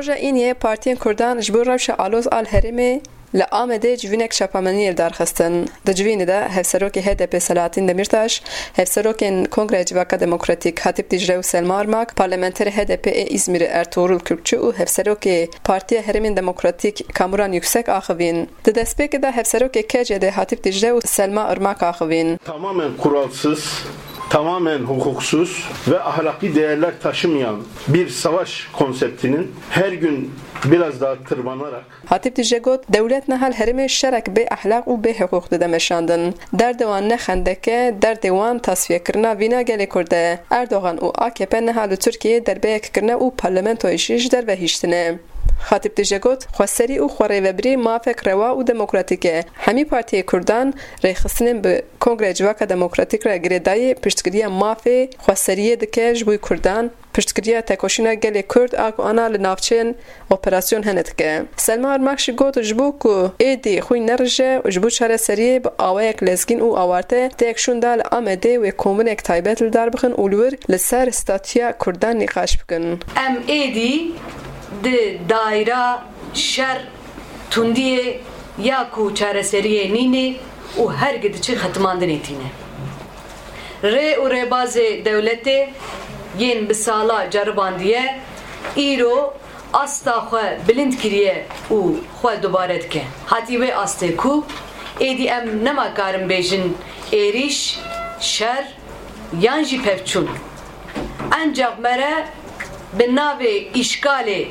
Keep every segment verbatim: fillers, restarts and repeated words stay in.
Roja Îniyê partiyên Kurdan ji bo rewşa aloz a li herêmê li Amedê civînek çapemeniyê li dar xistin. Di civînê de hevserokê H D P Selahattin Demirtaş, hevserokên Kongreya Civaka Demokratîk Hatip Dicle û Selma Irmak, parlamenterê H D P ê Îzmîrê Ertuğrul Kürkçü û hevserokê Partiya Herêmên Demokratîk Kamuran Yüksek axivîn. Di destpêkê de hevserokê K C D Hatip Dicle û Selma Irmak axivîn. Tamamen kuralsız, tamamen hukuksuz ve ahlaki değerler taşımayan bir savaş konseptinin her gün biraz daha tırmanarak Hatip Dicle got, dewlet niha li herêmê şerek bê ehlaq û bê hiqûq dide meşandin. Derdê wan ne xendek e, derdê wan tasfiyekirina vîna gelê Kurd e. Erdogan û A K P niha li Tirkiyeyê derbeyek kirine û parlamentoyê jî ji derve hiştine. Hatip Dicle got, xweserî û xwerêvebirî mafek rewa û demokratîk e. Hemî partiyê Kurdan rêxistinên bi Kongreya Civaka Demokratîk re girêdayî piştgiriya mafê xweseriyê dike ji bo Kurdan, piştgiriya tekoşîna gelê Kurd a ku ana li navçeyên operasyon hene dike. Selma Irmak jî got, ji bo ku êdî xwîn nerije û ji bo çareseriyê bi awayek lezgîn û awarte têk şûnda li Amedê wê kombûnek taybet li dar bixin û li wir li ser statûya Kurdan nîqaş bikin. Em êdî di daîra şer, tundiyê ya ku çareseriyê nînê û her gi diçe xetimandinê tîne. Rê û rêbazê dewletê yên bi sala ceribandiye, îro asta xwe bilind kiriye û xwe dubare dike. Hatî wê astê ku êdî em nema karin bêjin êrîş, şer yan jî pevçûn. Encax me re bi navê îşkalê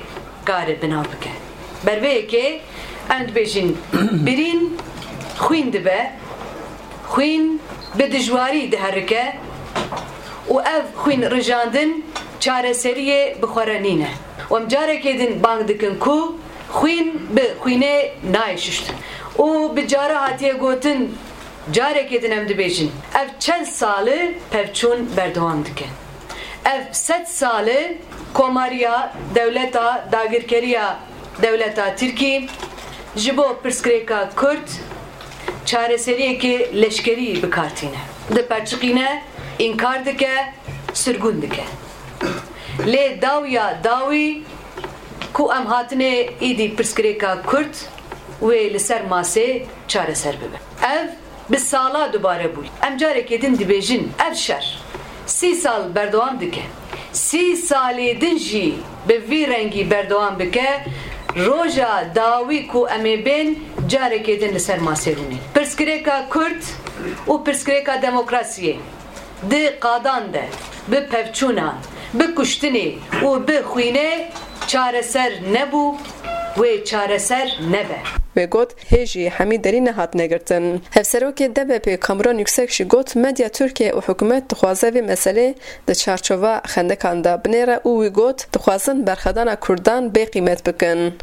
kare binav bike. Ber vê yekê em dibêjin, birîn xwîn dibe, xwîn bi dijwarî diherike û ev xwîn rijandin çareseriyê bi xwe re nîne. Û em carekê din bang dikin ku xwîn bi xwînê nayê şuştin. Û bi cara hatiye gotin, carekê din em dibêjin, ev çend sal e pevçûn berdewam dike. Ev sed sal e komariya, dewleta, dagirkeriya dewleta Tirkî ji bo pirsgirêka Kurd çareseriyekê leşkerî bi kar tîne. Diperçiqîne, înkar dike, sirgûn dike. Lê dawiya dawî ku em hatine êdî pirsgirêka Kurd wê li ser masê çareser bibe. Ev bi sala dubare bû. Em carekê din dibêjin, ev şer sî sal berdewam dike. Sî salê din jî bi vî rengî berdewam bike, roja dawî ku em ê bên carekê din li ser masê rûnê. Pirsgirêka Kurd û pirsgirêka demokrasiyê di qadan de, bi pevçûnan, bi kuştinê û bi xwînê çareser nebû, wê çareser nebe. Wê got, hê jî hemî derî nehatine girtin. Hevserokê D B P Kamuran Yüksek jî got, medya Tirkiye û hikûmet dixwaze vê meselê di çarçova xendekan de binêre û wî got, dixwazin berxwedana Kurdan bê qîmet bikin.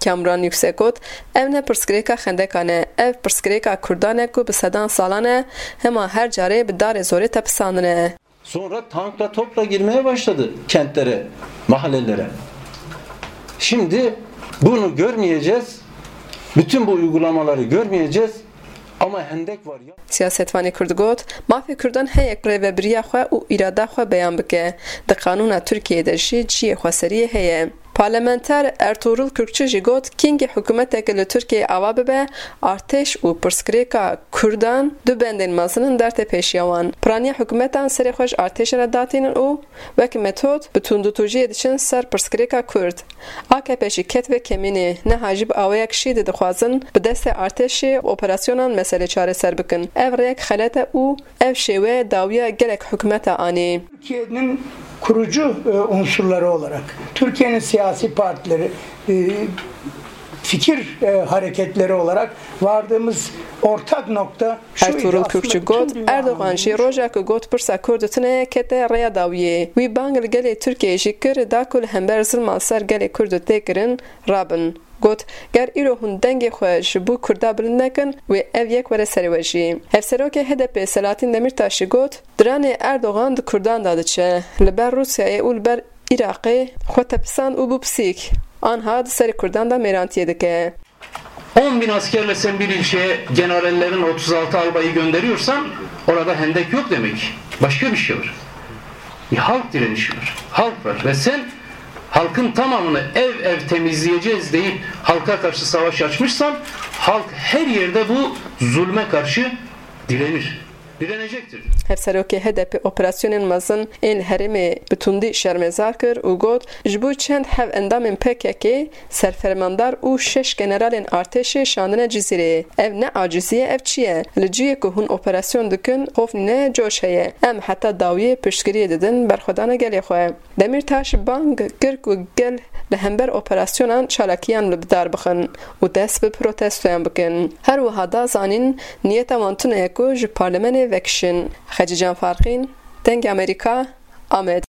Kamuran Yüksek got, ev ne pirsgirêka xendekan e, ev pirsgirêka Kurdan e ku bi sedan salan e, hema her carê bi darê zorê tepisandine. Sonra tankla topla girmeye başladı kentlere, mahallelere. Şimdi bunu görmeyeceğiz. Bütün bu uygulamaları görmeyeceğiz. Ama hendek var ya. Siyasetvanê Kurd got, mafê Kurdan heye rêvebiriya xwe û îrada xwe beyan bike. Di qanûna Tirkiyeyê de jî cihê xweseriyê heye. Parlamenter Ertuğrul Kürkçü jî got, kîngî hikûmeteke li Tirkiyeyê ava bibe, artêş û pirsgirêka Kurdan du bendên mezin in derdê pêşiya wan. Piraniya hikûmetan serê xwe ji artêşê re datînin û wek metod bi tundûtûjiyê diçin ser pirsgirêka Kurd. A K P jî ket vê kemînê, niha jî bi awayek şîdî dixwazin bi destê artêşê û operasyonan meselê çareser bikin. Ev rêyek xelet e û ev şêwe dawiya gelek hikûmeta anî. Türkiye'nin kurucu, e, unsurları olarak, Türkiye'nin siyasi partileri, e, fikir, e, hareketleri olarak vardığımız ortak nokta şuydu. Ertuğrul Kürkçü got, Erdogan jî roja ku got pirsa Kurd tune ye, kete rêya dawiyê. Wî bang li gelê Tirkiyeyê jî kir, da ku li hember zilma li ser gelê Kurd tê kirin, rabin. Got, ger îro hûn dengê xwe ji bo Kurda bilind nekin, wê ev yek were serê we jî. Hevserokê H D P Selahattin Demirtaş jî got, diranê Erdogan di Kurdan de diçe, li ber Rûsyayê û li ber Iraqê xwe tepisand û bû pisîk. Anha di serê Kurdan de mêrantiyê dike. On bin askerle sen bir ilçeye generallerin otuz altı albayı gönderiyorsan orada hendek yok demek. Başka bir şey var. Bir halk direnişi var. Halk var. Ve sen Halkın tamamını ev ev temizleyeceğiz deyip halka karşı savaş açmışsan, halk her yerde bu zulme karşı direnir. Direnecektir. Hevserokê H D P operasyonên mezin ên li herêmê bi tundî şermezar kir û got, ji bo çend hev endamên P K K, serfermandar û şeş generalên artêşê şandine Cizîrê. Ev ne acizî ye, ev çi ye? Li cihê ku hûn operasyon dikin, xof nîne, coş heye. Em heta dawiyê piştgiriyê didin berxwedana gelê xwe. Demîrtaş bang kir ku gel li hember operasyonan çalakiyan li bidar bixin û dest bi protestoyan bikin. Her wiha da zanîn niyeta wan tune ye ku ji parlemenê vekişin. Xecîcan Farqîn, Dengê Amerîka, Amed.